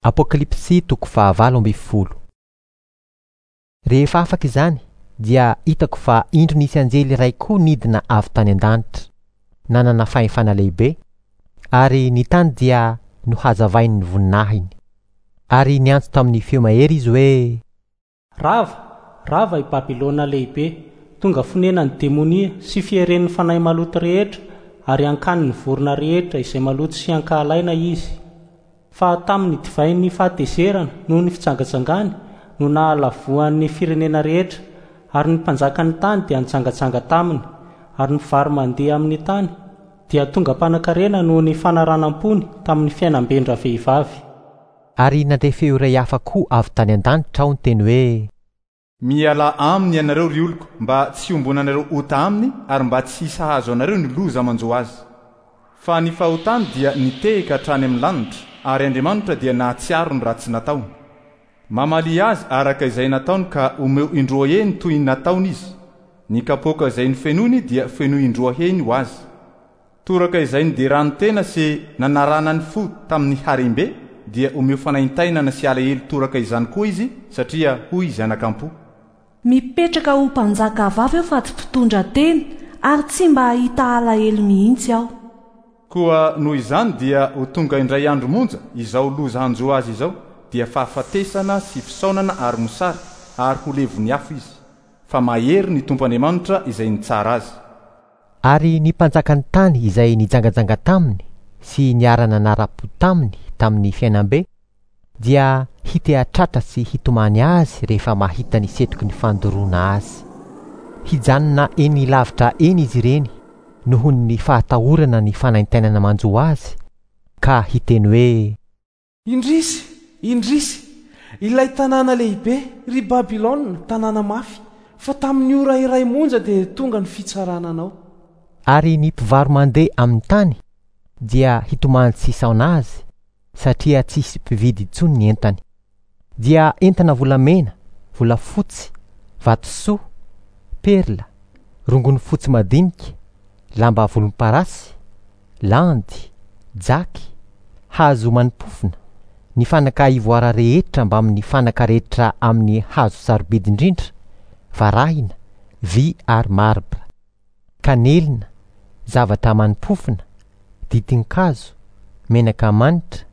Apokalypsy toko fahavalo ambin'ny folo. Rehefa afaka izany, dia hitako fa indro nisy anjely iray koa nidina avy tany an-danitra, nanana fahefana lehibe, ary ny tany dia nohazavain'ny voninahiny. Ary niantso tamin'ny feo mahery izy hoe. Rava, rava i Babylona Lehibe, tonga fonenan'ny demonia sy fieren'ny fanahy maloto rehetra ary ankanin'ny vorona rehetra izay maloto sy ankahalaina izy. Fa tamin'ny divain'ny fahatezerana noho ny fijangajangany no nahalavoan'ny firenena rehetra, ary ny mpanjakan'ny tany dia nijangajanga taminy, ary ny mpivaro-mandeha amin'ny tany dia tonga mpanankarena noho ny fanaranam-pony tamin'ny fiainam-ben-dravehivavy. Ary nandre feo iray hafa koa avy tany an-danitra aho niteny hoe. Mialà aminy ianareo, ry oloko, mba tsy hiombonanareo ota aminy ary mba tsy hisahazo anareo ny loza manjo azy. Fa ny fahotany dia nitehika hatrany amin'ny lanitra, ary Andriamanitra dia nahatsiaro ny ratsy nataony. Mamalia azy araka izay nataony ka omeo indroa heny toy ny nataony izy. Ny kapoaka izay nofenoiny dia fenoy indroa heny ho azy. Toraka izay niderany tena sy nanaranany fo tamin'ny harem-be dia omeo fanaintainana sy alahelo toraka izany koa izy satria hoy izy anakampo. Mipetraka ho mpanjaka vavy aho fa tsy mpitondra tena ary tsy mba hahita alahelo mihitsy aho. Koa noho izany dia ho tonga indray andro monja izao loza hanjo azy izao, dia fahafatesana sy fisaonana ary mosary, ary ho levon'ny afo izy. Fa mahery ny Tompo Andriamanitra izay nitsara azy. Ary ny mpanjakan'ny tany izay nijangajanga taminy sy niara-nanara-po taminy tamin'ny fiainam-be dia hiteha-tratra sy hitomany azy rehefa mahita ny setroky ny fandoroana azy. Hijanona eny lavitra eny izy ireny noho ny fahatahorana ny fanaintainana manjo azy, ka hiteny hoe. Indrisy! Indrisy! Ilay tanàna lehibe, ry Babylona, tanàna mafy, fa tamin'ny ora iray monja dia tonga ny fitsarana anao. Ary ny mpivaro-mandeha amin'ny tany dia hitomany tsy hisaona azy, satria tsy hisy mpividy intsony ny entany. Dia entana volamena, volafotsy, vatosoa, perla, rongony fotsy madinika, lamba volomparasy, landy, jaky, hazo manimpofona, ny fanaka ivoara rehetra mbamin'ny fanaka rehetra amin'ny hazo sarobidy indrindra, varahina, vy ary marbra, kanelina, zavatra manimpofona, ditin-kazo, menaka manitra,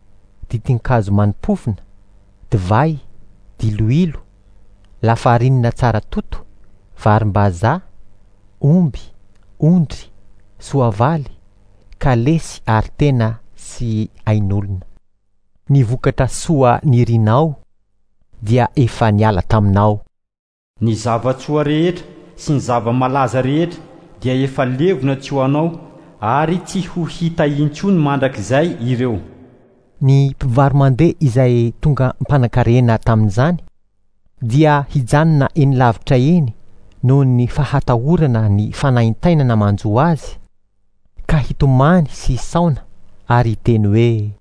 ditin-kazo manimpofona, divay, diloilo, lafarinina tsara toto, varim-bazaha, omby, ondry, soavaly, kalesy ary tena sy ain'olona. Ny vokatra soa nirinao dia efa niala taminao. Ny zava-tsoa rehetra sy ny zava-malaza rehetra dia efa levona tsy ho anao ary tsy ho hita intsony mandrakizay ireo. Ny mpivaro-mandeha izay tonga mpanankarena tamin'izany dia hijanona eny lavitra eny noho ny fahatahorana ny fanaintainana manjo azy, ka hitomany sy hisaona ary hiteny hoe.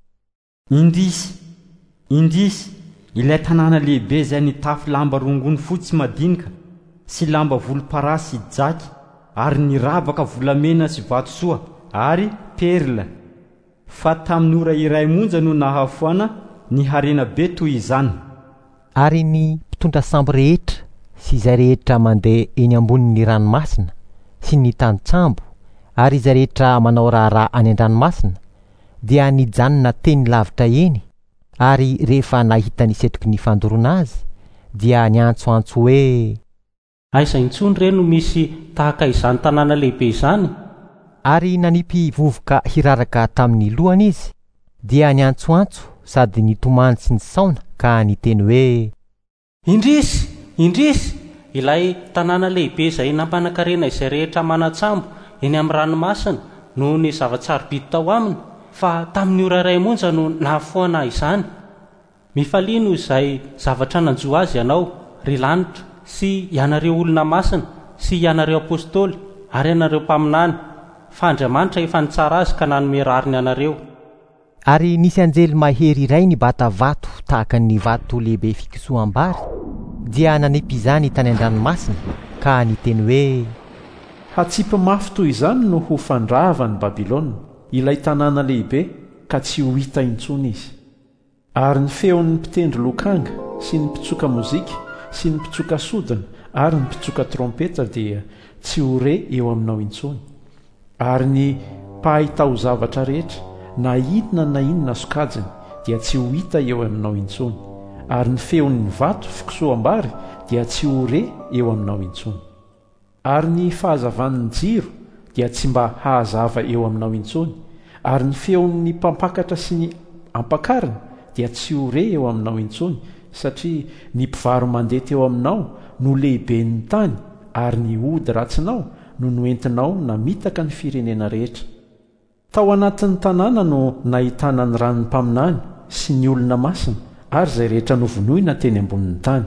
Indrisy! Indrisy! Ilay tanàna lehibe izay nitafy lamba rongony fotsy madinika sy lamba volomparasy sy jaky ary niravaka volamena sy vatosoa ary perla! Fa tamin'ny ora iray monja no nahafoana ny harena be toy izany. Ary ny mpitondra sambo rehetra sy izay rehetra mandeha eny ambonin'ny ranomasina sy ny tantsambo ary izay rehetra manao raharaha any an-dranomasina dia nijanona teny lavitra eny ary rehefa nahita ny setroky ny fandoroana azy dia niantsoantso hoe. Aiza intsony re no misy tahaka izany tanàna lehibe izany? Ary nanipy vovoka hiraraka tamin'ny lohany izy, dia niantsoantso sady nitomany sy nisaona ka niteny hoe. Indrisy! Indrisy! Ilay tanàna lehibe izay nampanan-karena izay rehetra manan-tsambo eny amin'ny ranomasina noho ny zava-tsarobidy tao aminy, fa tamin'ny ora iray monja no nahafoana izany. Mifalia noho izay zavatra nanjo azy ianao, ry lanitra, sy ianareo olona masina, sy ianareo apostoly, ary ianareo mpaminany, fa Andriamanitra efa nitsara azy ka nanome rariny anareo. Ary nisy anjely mahery iray nibata vato tahaka ny vato lehibe fikosoham-bary, dia nanipy izany tany an-dranomasina, ka niteny hoe. Hatsipy mafy toy izany no ho fandrava an'i Babylona, ilay tanàna lehibe, ka tsy ho hita intsony izy. Ary ny feon' ny mpitendry lokanga sy ny mpitsoka mozika sy ny mpitsoka sodina ary ny mpitsoka trompetra dia tsy ho re eo aminao intsony. Ary ny mpahay taozavatra rehetra, na inona na inona sokajiny, dia tsy ho hita eo aminao intsony. Ary ny feon' ny vato fikosoham-bary dia tsy ho re eo aminao intsony. Ary ny fahazavan' ny jiro dia tsy mba hahazava eo aminao intsony, ary ny feon' ny mpampakatra sy ny ampakarina dia tsy ho re eo aminao intsony, satria ny mpivaro-mandeha teo aminao no lehiben' ny tany, ary ny ody ratsinao no noentinao namitaka ny firenena rehetra. Tao anatin' ny tanàna no nahitana ny ran' ny mpaminany sy ny olona masina ary izay rehetra novonoina teny ambonin' ny tany.